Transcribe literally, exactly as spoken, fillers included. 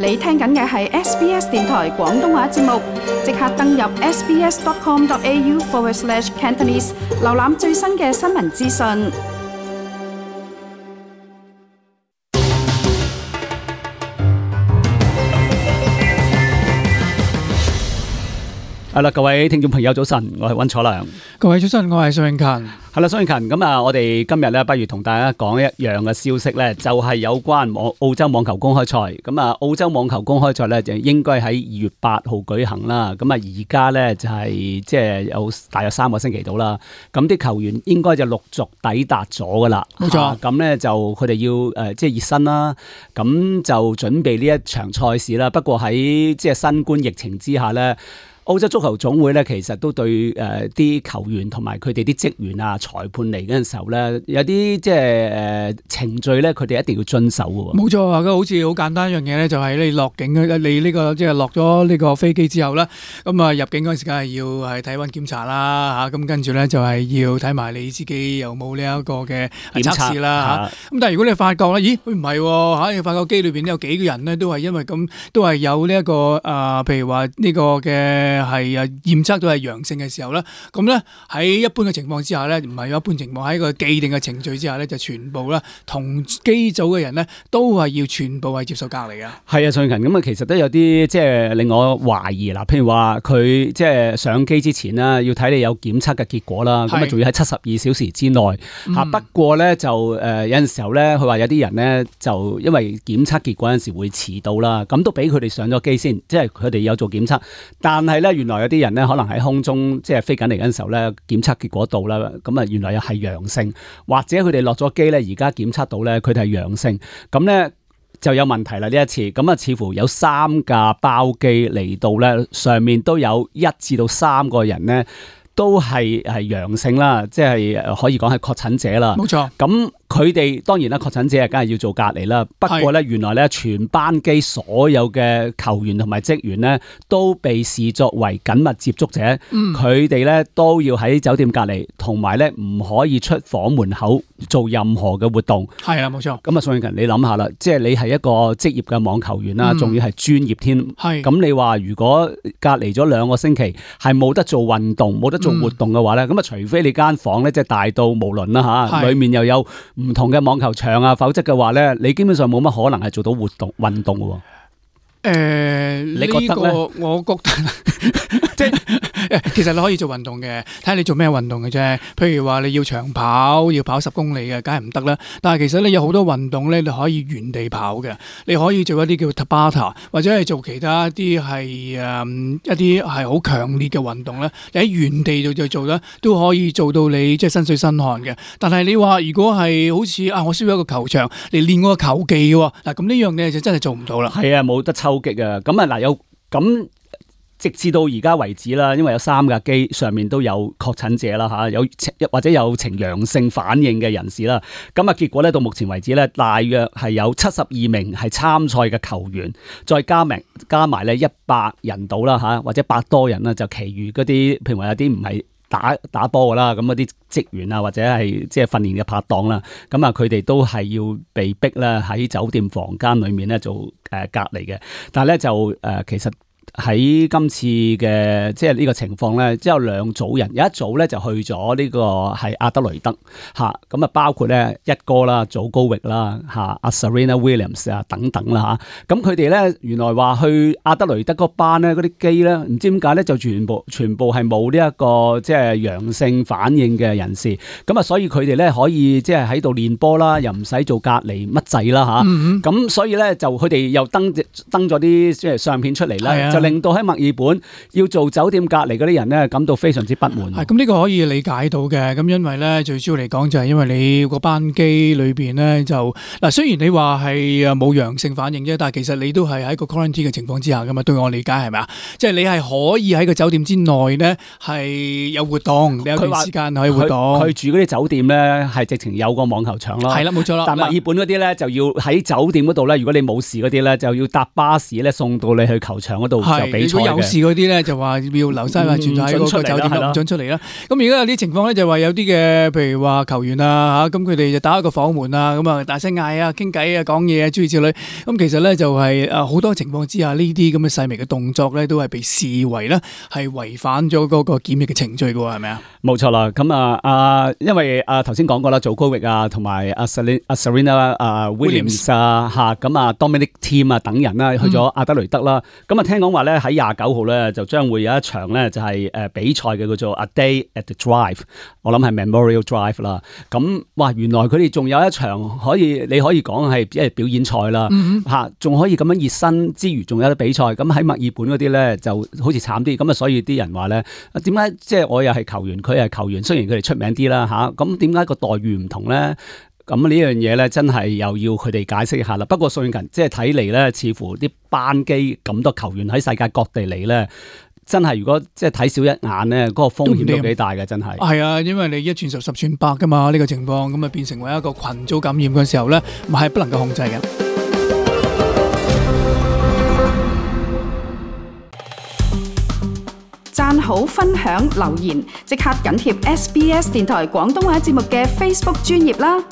你聽緊嘅係 S B S 電台廣東話節目，即刻登入 sbs.com.au forward slash Cantonese， 瀏覽最新嘅新聞資訊。係啦，各位聽眾朋友早晨，我係溫楚良。各位早晨，我係蘇永勤。係啦，蘇永勤，咁啊，我哋今日咧，不如同大家講一樣嘅消息咧，就係有關網澳洲網球公開賽。咁啊，澳洲網球公開賽咧就應該喺二月八號舉行啦。咁啊，而家咧就係即係有大約三個星期到啦。咁啲球員應該就陸續抵達咗噶啦。冇錯。咁咧就佢哋要誒即係熱身啦。咁就準備呢一場賽事啦。不過喺即係新冠疫情之下咧，澳洲足球總會咧，其實都對誒啲、呃、球員同埋佢哋啲職員啊、裁判嚟嗰陣時候咧，有啲即係誒程序咧，佢哋一定要遵守嘅。冇錯啊，好似好簡單一樣嘢咧，就係你落境嘅，你呢、這個即係落咗呢個飛機之後咧，咁啊入境嗰陣時梗係要係體溫檢查啦嚇，咁跟住咧就係要睇埋你自己有冇呢一個嘅測試啦嚇。咁但係如果你發覺咧，咦佢唔係喎嚇，你發覺機裏邊有幾個人咧都係因為咁都係有呢、這、一個啊、呃，譬如話呢個嘅。係啊，驗測到係陽性嘅時候咧，咁咧喺一般嘅情況之下咧，唔係有一般情況，喺一個既定嘅程序之下咧，就全部咧同機組嘅人咧都係要全部係接受隔離嘅。係啊，最近咁啊，其實都有啲即係令我懷疑啦。譬如話佢即係上機之前啦，要睇你有檢測嘅結果啦，咁啊仲要喺七十二小時之內嚇、嗯。不過咧就誒、呃、有陣時候咧，佢話有啲人咧就因為檢測結果有陣時會遲到啦，咁都俾佢哋上咗機先，即係佢哋有做檢測，但係咧。原來有啲人咧，可能喺空中即係飛緊嚟嗰陣時候咧，檢測結果到啦，咁啊原來又係陽性，或者佢哋落咗機咧，而家檢測到咧，佢哋係陽性，咁咧就有問題啦呢一次，咁啊似乎有三架包機嚟到咧，上面都有一至到三個人咧，都係係陽性啦，即係可以講係確診者啦。冇錯，咁。佢哋當然啦，確診者係梗係要做隔離啦。不過咧，原來咧全班機所有嘅球員同埋職員咧都被視作為緊密接觸者。佢哋咧都要喺酒店隔離，同埋咧唔可以出房門口做任何嘅活動。係啦，冇錯。咁啊，宋永勤，你諗下啦，即係你係一個職業嘅網球員啦，仲、嗯、要係專業添。係。咁你話如果隔離咗兩個星期，係冇得做運動、冇得做活動嘅話咧，咁、嗯、啊，除非你間房咧即係大到無論啦嚇，裡面又有唔同嘅網球場啊，否則嘅話咧，你基本上冇乜可能係做到活動運動嘅。誒、呃，你覺得咧？呢個、我覺得即係其實你可以做運動嘅，睇下你做咩運動嘅啫。譬如話你要長跑，要跑十公里嘅，梗係唔得啦。但係其實咧有好多運動咧，你可以原地跑嘅。你可以做一啲叫 Tabata， 或者係做其他一啲係誒一啲係好強烈嘅運動咧。你喺原地度就做咧，都可以做到你即係身水身汗嘅。但係你話如果係好似啊，我需要一個球場嚟練我個球技喎，嗱咁呢樣嘢就真係做唔到啦。係啊，冇得抽。嘅咁啊嗱，有咁直至到而家為止啦，因為有三架機上面都有確診者啦嚇，有或者有呈陽性反應嘅人士啦。咁啊結果咧到目前為止咧，大約係有七十二名係參賽嘅球員，再加埋加埋咧一百人到啦嚇，或者百多人啦，就其餘嗰啲譬如話有啲唔係打打波噶啦，咁嗰啲職員啊或者係即係訓練嘅拍檔啦，咁啊佢哋都係要被逼咧喺酒店房間裏面咧做誒隔離嘅，但係咧就誒、呃、其實。喺今次嘅即係呢個情況咧，只有兩組人，有一組咧就去咗呢個係阿德雷德嚇，咁啊包括咧一哥啦、祖高域啦嚇、阿 Serena Williams 啊等等啦嚇，咁佢哋咧原來話去阿德雷德嗰班咧嗰啲機咧，唔知點解咧就全部全部係冇呢一個即係陽性反應嘅人士，咁啊所以佢哋咧可以即係喺度練波啦，又唔使做隔離乜滯啦嚇，咁、嗯、所以咧就佢哋又登登咗啲即係相片出嚟啦，就令到喺墨爾本要做酒店隔離嗰啲人咧感到非常之不滿。係咁呢個可以理解到嘅，咁因為咧最主要嚟講就係因為你個班機裏邊咧就嗱，雖然你話係誒冇陽性反應啫，但係其實你都係喺個 quarantine 嘅情況之下噶嘛。對我理解係咪啊？即係你係可以喺個酒店之內咧係有活動，你有段時間可以活動。佢住嗰啲酒店咧係直情有個網球場咯。係啦，冇錯啦。但墨爾本嗰啲咧就要喺酒店嗰度咧，如果你冇事嗰啲咧就要搭巴士咧送到你去球場嗰度就比賽嘅。如果有事嗰啲咧，就話要留低啊，存在喺嗰個酒店度，唔准出嚟啦。咁而家有啲情況咧，就話有啲嘅，譬如話球員啊嚇，咁佢哋就打開個房門啊，咁啊大聲嗌啊、傾偈啊、講嘢啊諸如此類。咁其實咧就係誒好多情況之下，呢啲咁嘅細微嘅動作咧，都係被視為咧係違反咗嗰個檢疫嘅程序嘅喎，係咪啊？冇錯啦，咁啊啊，因為啊頭先講過啦，祖高域啊，同埋阿 Serena 啊 Williams 啊嚇，咁啊 Dominic Thiem 啊等人啦，去咗阿德雷德啦。咁啊聽講話咧喺廿九號咧就將會有一場咧就係誒比賽嘅叫做 A Day at the Drive， 我諗係 Memorial Drive 啦。咁哇原來佢哋仲有一場可以你可以講係即係表演賽啦嚇，仲可以咁樣熱身之餘仲有得比賽。咁喺墨爾本嗰啲咧就好似慘啲，咁啊所以啲人話咧點解即係我又係球員，佢係球員，雖然佢哋出名啲啦嚇，咁點解個待遇唔同咧？咁呢樣嘢咧，真係又要佢哋解釋一下啦。不過最近即係睇嚟咧，似乎啲班機咁多球員喺世界各地嚟咧，真係如果即係睇少一眼咧，嗰、那個風險都幾大嘅，真係。係啊，因為你一傳十，十傳百噶嘛，呢、這個情況咁啊，變成為一個群組感染嘅時候咧，咪係不能夠控制嘅。讚好、分享、留言，即刻緊貼 S B S 電台廣東話節目嘅 Facebook 專頁啦！